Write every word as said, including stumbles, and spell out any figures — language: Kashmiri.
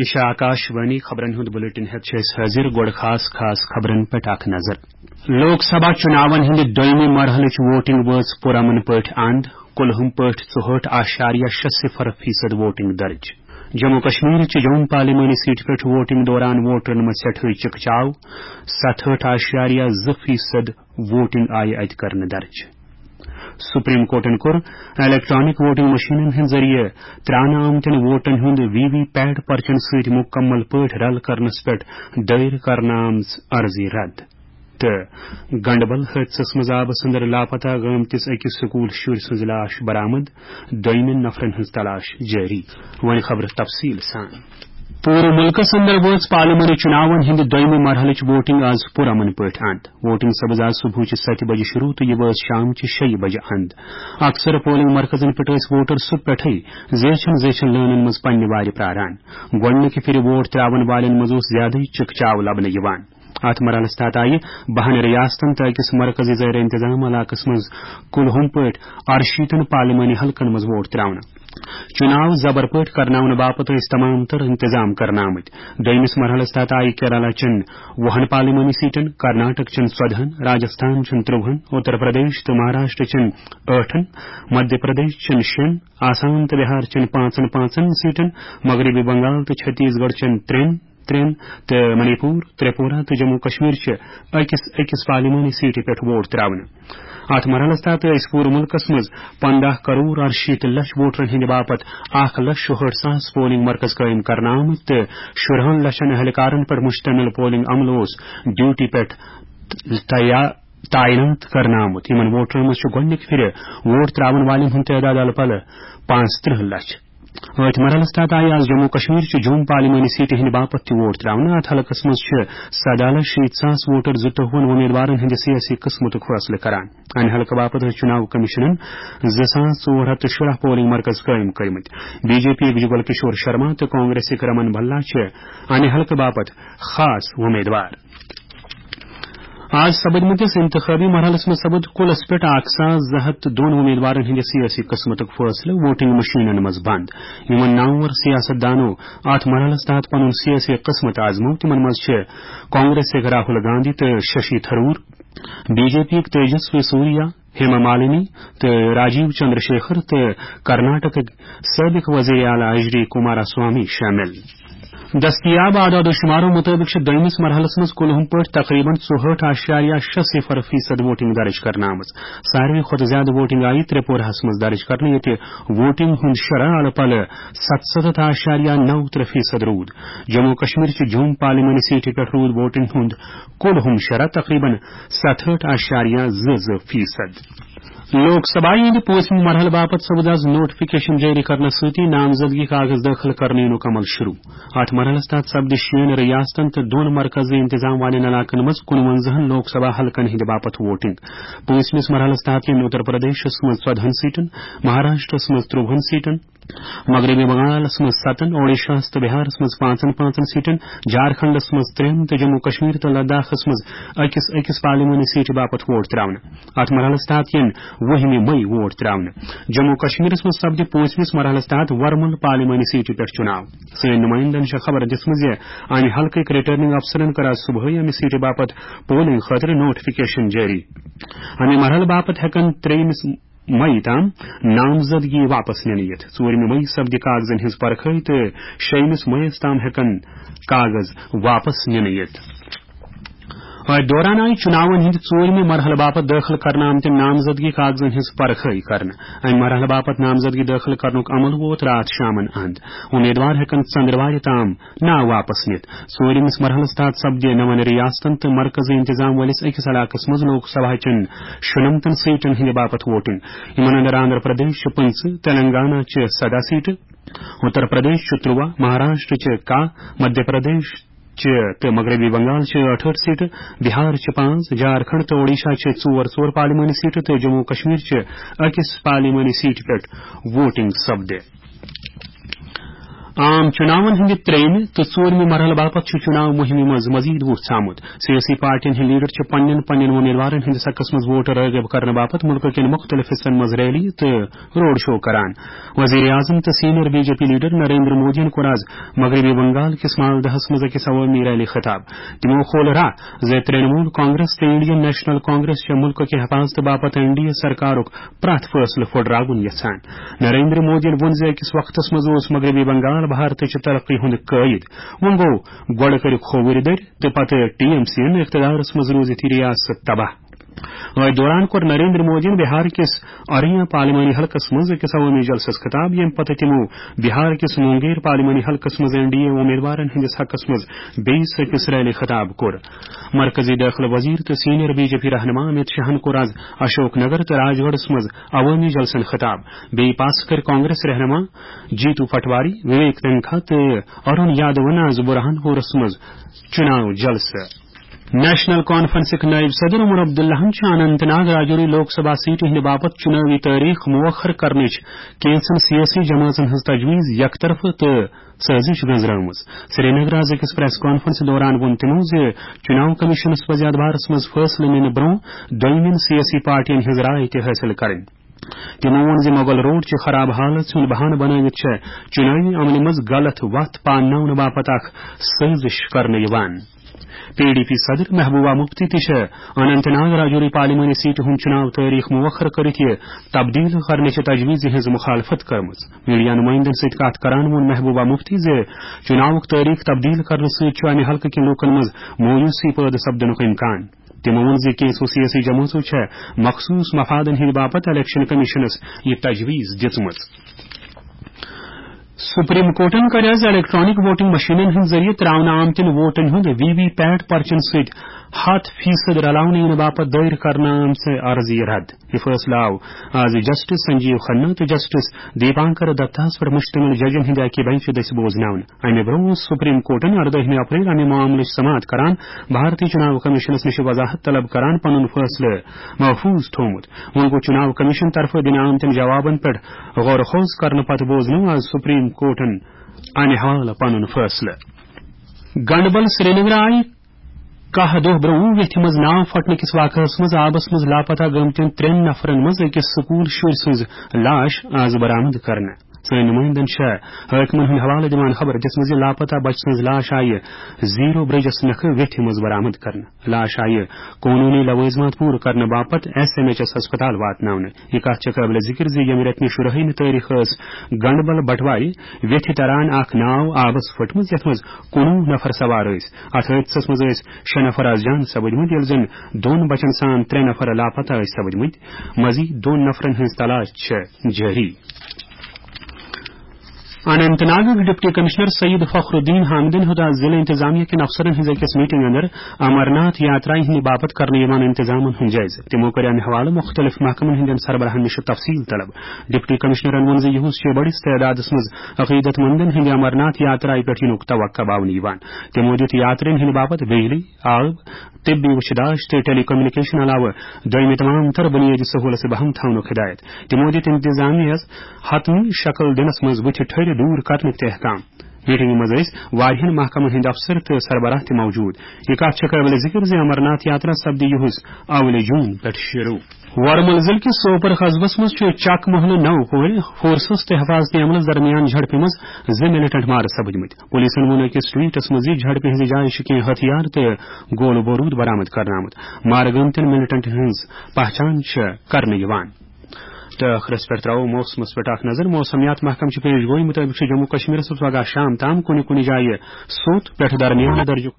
یہِ چھِ آکاش وانی۔ خبرن ہُنٛد بلیٹن ہٮ۪تھ چھِ أسۍ حٲضِر۔ گۄڈٕ خاص خاص خبرن پٮ۪ٹھ اکھ نظر۔ لوک سبھا چُناون ہٕنٛدِ دوٚیمہِ مرحلٕچ ووٹنگ وٲژ پُرامن پٲٹھۍ اند۔ کُلہُم پٲٹھۍ ژُہٲٹھ اعشاریہ شےٚ صفر فیصد ووٹنگ درج۔ جموں کشمیرٕچ جوم پارلیمانی سیٹہِ پٮ۪ٹھ ووٹنگ دوران ووٹرن منٛز سٮ۪ٹھٲے چکچاو۔ ستہٲٹھ اعشاریہ زٕ فیصد ووٹنگ آیہِ اتہِ کرنہٕ درج۔ سپریم کورٹن کوٚر الیکٹرانک ووٹنگ مشینن ہٕنٛدِ ذٔریعہٕ ترٛاونہٕ آمتٮ۪ن ووٹن ہُنٛد وی وی پیٹ پرچن سۭتۍ مُکمل پٲٹھۍ رل کرنس پٮ۪ٹھ دٲیر کرنہٕ آمژ عرضی رد۔ تہٕ گنڈبل حٲدثس منٛز آبس اندر لاپتہ گٲمتِس أکِس سکوٗل شُرۍ سٕنٛز لاش برآمد، دوٚیمٮ۪ن نفرن ہٕنٛز تلاش جٲری۔ وۄنۍ خبرٕ تفصیٖل سان۔ پوٗرٕ مُلکَس اندر وٲژ پارلیمانی چُناون ہٕنٛدِ دوٚیمہِ مرحلٕچ ووٹنگ آز پُرامن پٲٹھۍ اند۔ ووٹنگ سپٕز آز صبحٕچہِ ستہِ بجہِ شروع تہٕ یہِ وٲژ شامچہِ شیٚیہِ بجہِ اند۔ اکثر پولنگ مرکزن پٮ۪ٹھ ٲسۍ ووٹر صبح پٮ۪ٹھٕے زیچھن زیچھن لٲنن منٛز پننہِ وارِ پراران۔ گۄڈٕنِکہِ پھِرِ ووٹ ترٛاون والٮ۪ن منٛز اوس زیادٕے چکچاو لبنہٕ یِوان۔ اتھ مرحلس تحت آیہِ بہن ریاستن تہٕ أکِس مرکزی زیر انتظام علاقس منٛز کُلہُم پٲٹھۍ ارشیٖتن پارلیمانی حلقن منٛز ووٹ ترٛاونہٕ۔ چُناو زبر پٲٹھۍ کرناونہٕ باپتھ ٲسۍ تمام تر انتظام کرنہٕ آمٕتۍ۔ دوٚیمِس مرحلس تحت آیہِ کیرالہ چٮ۪ن وُہن پارلیمانی سیٹن، کرناٹک چٮ۪ن ژۄدہن، راجستھان چٮ۪ن ترٛوہن، اتر پردیش تہٕ مہاراشٹر چٮ۪ن ٲٹھن، مدھیہ پردیش چٮ۪ن شٮ۪ن، آسام تہٕ بہار چٮ۪ن پانٛژن پانٛژن سیٹن، مغربی بنگال تہٕ چھتیس گڑھ چٮ۪ن ترٛٮ۪ن، ترٛٮ۪ن تہٕ منی پور، ترٛیپورہ تہٕ جموں کشمیر چہِ أکِس أکِس پارلیمانی سیٹہِ پٮ۪ٹھ ووٹ ترٛاونہٕ۔ اتھ مرحلس تحت ٲسۍ پوٗرٕ مُلکس منٛز پنٛداہ کرور ارشیٖتھ لچھ ووٹرن ہٕنٛدِ باپتھ اکھ لچھ شُہٲٹھ ساس پولنگ مرکز قٲیِم کرنہٕ آمٕتۍ تہٕ شُرہن لچھن اہلکارن پٮ۪ٹھ مشتمل پولنگ عملہٕ اوس ڈیوٹی پٮ۪ٹھ تیا-، تعینات کرنہٕ آمُت۔ یِمن ووٹرن منٛز چھُ گۄڈٕنِکہِ پھِرِ ووٹ ترٛاون والٮ۪ن ہُنٛد تعداد الہٕ پلہٕ پانٛژھ ترٕٛہ لچھ۔ أتھۍ مرحلس تحت آیہِ آز جموں کشمیر چہِ جوم پارلیمانی سیٹہِ ہٕنٛدِ باپتھ تہِ ووٹ ترٛاونہٕ۔ اتھ حلقس منٛز چھِ سداہ لچھ شیٖتھ ساس ووٹر زٕتووُہن وۄمیدوارن ہٕنٛدِ سیٲسی قٕسمتُک فٲصلہٕ کران۔ امہِ حلقہٕ باپتھ ٲسۍ چُناو کمیشنن زٕ ساس ژور ہتھ تہٕ شُراہ پولنگ مرکز قٲیِم کٔرمٕتۍ۔ بی جے پی یُک جگل کشور شرما تہٕ کانگریسٕکۍ رمن بھلا چھِ امہِ حلقہٕ باپتھ خاص وۄمیدوار۔ آز سپدمٕتِس انتخابی مرحلس منٛز سپد کُلس پٮ۪ٹھ اکھ ساس زٕ ہتھ تہٕ دۄن وۄمیدوارن ہٕنٛدِ سیٲسی قٕسمتُک فٲصلہٕ ووٹنگ مشینن منٛز بند۔ یِمن نامور سیاست دانو اتھ مرحلس تحت پنُن سیٲسی قٕسمت آزموو۔ تِمن منٛز چھِ کانگریسٕکۍ راہل گاندھی تہٕ Shashi Tharoor, B J P یُک تیجسوی سوریا، ہیما مالنی تہٕ راجیو چندر شیکھر تہٕ کرناٹکٕکۍ سٲبق وزیر اعلیٰ ایچ ڈی کمارا سوامی شٲمِل۔ دستیاب اعداد و شمارو مطٲبق چھِ دوٚیمِس مرحلَس منٛز کُلہُم پٲٹھۍ تقریباً ژُہٲٹھ اعشاریہ شےٚ صفر فیصد ووٹنگ درج کرنہٕ آمٕژ۔ ساروی کھۄتہٕ زیادٕ ووٹنگ آیہِ ترٛیپورہَس منٛز درج کرنہٕ، ییٚتہِ ووٹنگ ہُنٛد شرح الہٕ پلہٕ ستستھ اعشاریہ نو ترٛےٚ فیصد روٗد۔ جموں کشمیر چہِ جوم پارلیمانی سیٹہِ پٮ۪ٹھ روٗد ووٹنگ ہُنٛد کُلہُم شرح تقریباً ستہٲٹھ اعشاریہ زٕ زٕ فیصد۔ لوک سبھایہ ہٕنٛدِ پوٗنٛژمہِ مرحلہٕ باپتھ سپُد آز نوٹیفکیشن جٲری کرنہٕ سۭتی نامزدگی کاغذ دٲخل کرنہٕ یِنُک عمل شروع۔ اتھ مرحلس تحت سپدِ شیٚن ریاستن تہٕ دۄن مرکزی انتظام والٮ۪ن علاقن منٛز کُنوَنزاہن لوک سبھا حلقن ہٕنٛدِ باپتھ ووٹنگ۔ پوٗنٛژمِس مرحلس تحت یِن اتر پردیشس منٛز ژۄدہن سیٹن، مہاراشٹرس منٛز ترٛوہن سیٹن، مغربی بنگالس منٛز ستن، اوڈیشاہس تہٕ بہارس منٛز پانٛژن پانٛژن سیٹن، جھارکھنڈس منٛز ترٛٮ۪ن تہٕ جموں کشمیر تہٕ لداخس منٛز أکِس أکِس پارلیمانی سیٹہِ باپتھ ووٹ ترٛاونہٕ۔ اتھ مرحلس تحت یِن وُہمہِ مئی ووٹ ترٛاونہٕ۔ جموں کشمیرس منٛز سپدِ پوٗنٛژمِس مرحلس تحت ورمُل پارلیمانی سیٹہِ پٮ۪ٹھ چُناو۔ سٲنۍ نُمٲیندن چھےٚ خبر دِژمٕژ زِ امہِ حلقٕکۍ ریٹرننگ افسرن کٔر آز صبحٲے امہِ سیٹہِ باپتھ پولنگ خٲطرٕ نوٹیفکیشن جٲری۔ امہِ مرحلہٕ باپتھ ہٮ۪کن ترٛیٚیمِس مئی تام نامزدگی واپس نِنہٕ یِتھ۔ ژوٗرمہِ مئی سپدِ کاغذن ہٕنٛز پرکھٲے تہٕ شیٚیمِس مئیس تام ہٮ۪کن کاغذ واپس نِنہٕ یِتھ۔ اتھ دوران آیہِ چُناون ہٕنٛدِ ژوٗرمہِ مرحلہٕ باپتھ دٲخل کرنہٕ آمتٮ۪ن نامزدگی کاغذن ہٕنٛز پرکھٲے کرنہٕ۔ امہِ مرحلہٕ باپتھ نامزدگی دٲخل کرنُک عمل ووت راتھ شامن اند۔ امیدوار ہٮ۪کن ژندروارِ تام ناو واپس نِتھ۔ ژوٗرمِس مرحلس تحت سپدِ نون ریاستن تہٕ مرکزی انتظام وٲلِس أکِس علاقس منٛز لوک سبھا چٮ۪ن شُنمتن سیٹن ہٕنٛدِ باپتھ ووٹنگ۔ یِمن اندر آندھرا پردیش چھِ پٕنٛژٕہ، تیلنگانہ چھِ سداہ سیٹہٕ، اتر پردیش چھِ ترٛواہ، مہاراشٹر چھِ کاہ، مدھیہ پردیش چھِ تہٕ مغربی بنگال چھِ ٲٹھ ٲٹھ سیٹہٕ، بہار چھِ پانٛژھ، جھارکھنڈ تہٕ اوڈیشہ چھِ ژور ژور پارلیمانی سیٹہٕ تہٕ جموں کشمیر چھِ أکِس پارلیمانی سیٹہِ پٮ۪ٹھ ووٹنگ سپدِ۔ عام چُناون ہٕنٛدِ ترٛیٚیِمہِ تہٕ ژوٗرمہِ مرحلہٕ باپتھ چھُ چُناو مُہِمہِ منٛز مزید وُہ ژامُت۔ سیٲسی پارٹین ہٕنٛدۍ لیڈر چھِ پننٮ۪ن پننٮ۪ن وۄمیدوارن ہٕنٛدِس حقس منٛز ووٹ رٲغب کرنہٕ باپتھ مُلکہٕ کٮ۪ن مُختٔلِف حصن منٛز ریلی تہٕ روڈ شو کران۔ وزیر اعظم تہٕ senior B J P leader Narendra مودیَن کوٚر آز مغربی بنگال کِس مالدہس منٛز أکِس عوٲمی ریلی خطاب۔ تِمو کھول راہ زِ ترٛنمول کانگریس تہٕ انڈین نیشنل کانگریس چھےٚ مُلکہٕ کہِ حفاظتہٕ باپتھ این ڈی اے سرکارُک پرٛٮ۪تھ فٲصلہٕ پھُٹراوُن یژھان۔ نریندر مودیَن ووٚن زِ أکِس وقتس منٛز اوس مغربی بنگال بھارتٕچ ترقی ہُنٛد قٲیِد۔ وۄنۍ گوٚو، گۄڈٕ کٔرِکھ کھووُرۍ دٔرۍ تہٕ پتہٕ ٹی ایم سی یَن اقتدارس منٛز روٗزِتھ یہِ ریاست تباہ۔ أتھۍ دوران کوٚر نریندر مودیَن بہار کِس اریا پارلیمانی حلقس منٛز أکِس عوٲمی جلسس خطاب، ییٚمہِ پتہٕ تِمو بہار کِس مونگیر پارلیمانی حلقس منٛز این ڈی اے امیدوارن ہٕنٛدِس حقس منٛز بیٚیِس أکِس ریلی خطاب کوٚر۔ مرکزی دٲخلہٕ وزیر تہٕ سینئر بی جے پی رہنما امت شاہن کوٚر آز اشوک نگر تہٕ راج گڑھس منٛز عوٲمی جلسن خطاب۔ بیٚیہِ پاسہٕ کٔرۍ کانگریس رہنما جیتو پٹواری، وویک تنکھا تہٕ ارون یادوَن آز برہان پورس منٛز چُناو جلسہٕ۔ نیشنل کانفرنسٕکۍ نٲیِب صدر عمر عبداللہَن چھُ اننت ناگ راجوری لوک سبھا سیٹہِ ہٕنٛدِ باپتھ چُنٲوی تٲریخ مؤخر کرنٕچ کینٛژن سیٲسی جمٲژن ہٕنٛز تجویز یکطرفہٕ تہٕ سٲزِش گٔنزرٲومٕژ۔ سرینگرٕ آز أکِس پریس کانفرنس دوران ووٚن تِمو زِ چُناو کمیشنس پزِ اتھ بارس منٛز فٲصلہٕ نِنہٕ برٛونٛہہ دوٚیمٮ۪ن سیٲسی پارٹین ہٕنٛز راے تہِ حٲصِل کرٕنۍ۔ تِمو ووٚن زِ مغل روڈ چہِ خراب حالژ ہُنٛد بہانہٕ بنٲوِتھ چھےٚ چُنٲوی عملہِ منٛز غلط وتھ پانناونہٕ باپتھ اکھ سٲزِش کرنہٕ یِوان۔ پی ڈی پی صدر محبوبہ مفتی تہِ چھےٚ اننت ناگ راجوری پارلیمانی سیٹہِ ہُنٛد چُناو تٲریخ مؤخر کٔرِتھ یہِ تبدیل کرنٕچہِ تجویزِ ہٕنٛز مخالفت کٔرمٕژ۔ میڈیا نمائندن سۭتۍ کتھ کران ووٚن محبوبہ مفتی زِ چُناوُک تٲریخ تبدیل کرنہٕ سۭتۍ چھُ امہِ حلقہٕ کٮ۪ن لوٗکن منٛز مایوسی پٲدٕ سپدنُک امکان۔ تِمو ووٚن زِ کینٛژو سیٲسی جمٲژو چھےٚ مخصوٗص مفادن ہٕنٛدِ باپتھ الیکشن کمیشنس یہِ تجویز دِژمٕژ۔ سپریم کورٹن کٔر آز الیکٹرانک ووٹنگ مشینن ہٕنٛدۍ ذٔریعہٕ تراونہٕ آمتٮ۪ن ووٹن ہُنٛد وی وی پیٹ پرچن سۭتۍ ہتھ فیصد رلاونہٕ یِنہٕ باپتھ دٲیر کرنہٕ آمژٕ عرضی رد۔ یہِ فٲصلہٕ آو آز جسٹس سنجیو کھنہ تہٕ جسٹس دیپانکر دتاہس پٮ۪ٹھ مشتمل ججن ہٕنٛدِ اکہِ بنچہِ دٔسۍ بوزناونہٕ۔ امہِ برٛونٛہہ اوس سپریم کورٹن اردٲہمہِ اپریل امہِ معاملٕچ سماعت کران بھارتی چُناو کمیشنس نِش وضاحت طلب کران پنُن فٲصلہٕ محفوظ تھوومُت۔ وۄنۍ گوٚو چُناو کمیشن طرفہٕ دِنہٕ آمتٮ۪ن جوابن پٮ۪ٹھ غور و خوض کرنہٕ پتہٕ بوزنوو آز سپریم کورٹن امہِ حوالہٕ پنُن فٲصلہٕ۔ گنڈبل سرینگر آیہِ کاہ دۄہ برٛونٛہہ ویتھِ منٛز ناو پھٹنہٕ کِس واقعس منٛز آبس منٛز لاپتہ گٔمتٮ۪ن ترٛٮ۪ن نفرن منٛز أکِس سکوٗل شُرۍ سٕنٛز لاش آز برآمد کرنہٕ۔ سٲنۍ نمٲیندن چھےٚ حٲکمن ہُنٛد حوالہٕ دِوان خبر دِژمٕژ زِ لاپتہ بچہٕ سٕنٛز لاش آیہِ زیٖرو برجس نکھٕ ویتھِ منٛز برآمد کرنہٕ۔ لاش آیہِ قونوٗنی لوٲزمات پوٗرٕ کرنہٕ باپتھ ایس ایم ایچ ایس ہسپتال واتناونہٕ۔ یہِ کتھ چھےٚ قٲبلِ ذِکر زِ ییٚمہِ رٮ۪تہٕ کہِ شُراہمہِ تٲریخ ٲس گنڈبل بٹوارِ ویتھِ تران اکھ ناو آبس پھٔٹمٕژ، یتھ منٛز کُنوُہ نفر سوار ٲسۍ۔ اتھ حٲدثس منٛز ٲسۍ شےٚ نفر آز جان سپٕدمٕتۍ، ییٚلہِ زن دۄن بچن سان ترٛےٚ نفر لاپتہ ٲسۍ سپٕدمٕتۍ۔ مزید دۄن نفرن ہٕنٛز تلاش چھےٚ جٲری۔ اننت ناگٕکۍ ڈپٹی کمشنر سعید فخر الدین حامدن ہیوٚت آز ضلع انتظامیہ کٮ۪ن افسرن ہٕنٛز أکِس میٹنگ اندر امرناتھ یاترایہِ ہٕنٛدِ باپتھ کرنہٕ یِوان انتظامن ہُنٛد جٲیزٕ۔ تِمو کٔر امہِ حوالہٕ مُختٔلِف محکمن ہٕنٛدٮ۪ن سربراہن نِش تفصیل طلب۔ ڈپٹی کمشنرن ووٚن زِ یِہُس چھُ بٔڑِس تعدادس منٛز عقیدت مندن ہٕنٛدِ امرناتھ یاترایہِ پٮ۪ٹھ یِنُک توقع باونہٕ یِوان۔ تِمو دِیُت یاترین ہٕنٛدِ باپتھ بجلی، آب، طبی وٕچھِ داش تہٕ ٹیلی کمیونیکیشن علاوٕ دوٚیمہِ تمام تر بُنیٲدی سہوٗلژٕ بہم تھاونُک ہدایت۔ تِمو دِتۍ انتظامیہ یَس حتمی شکل دِنس منٛز بُتھِ ٹھٔرِ دوٗر کرنٕکۍ تہِ احکام۔ میٹنگہِ منٛز ٲسۍ واریاہن محکمن ہٕنٛدۍ افسر تہٕ سربراہ تہِ موجود۔ یہِ کتھ چھےٚ قٲبلِ ذِکر زِ امرناتھ یاترا سپدِ یِہُس اولِ جوٗن پٮ۪ٹھ شروٗع۔ ورمل ضلعہٕ کِس سوپور قصبس منٛز چھُ چک محلہٕ نو کورِ فورسز تہٕ حفاظتی عملس درمیان جھڑپہِ منٛز زٕ ملیٹنٹ مارٕ سپٕدمٕتۍ۔ پولیسن ووٚن أکِس ٹویٹس منٛز زِ جھڑپہِ ہٕنٛزِ جایہِ چھِ کینٛہہ ہتھیار تہٕ گولہٕ بوروٗد برآمد کرنہٕ آمُت۔ مارٕ گٔمتٮ۪ن ملیٹنٹن ہٕنٛز پہچان چھےٚ کرنہٕ یِوان۔ تہٕ ٲخرس پٮ۪ٹھ ترٛاوو موسمس پٮ۪ٹھ اکھ نظر۔ موسمیات محکمہٕ چھِ پیش گویی مُطٲبِق چھُ جموں کشمیرس منٛز پگاہ شام تام کُنہِ کُنہِ جایہِ سوٚت پٮ۪ٹھ درمیان درجُک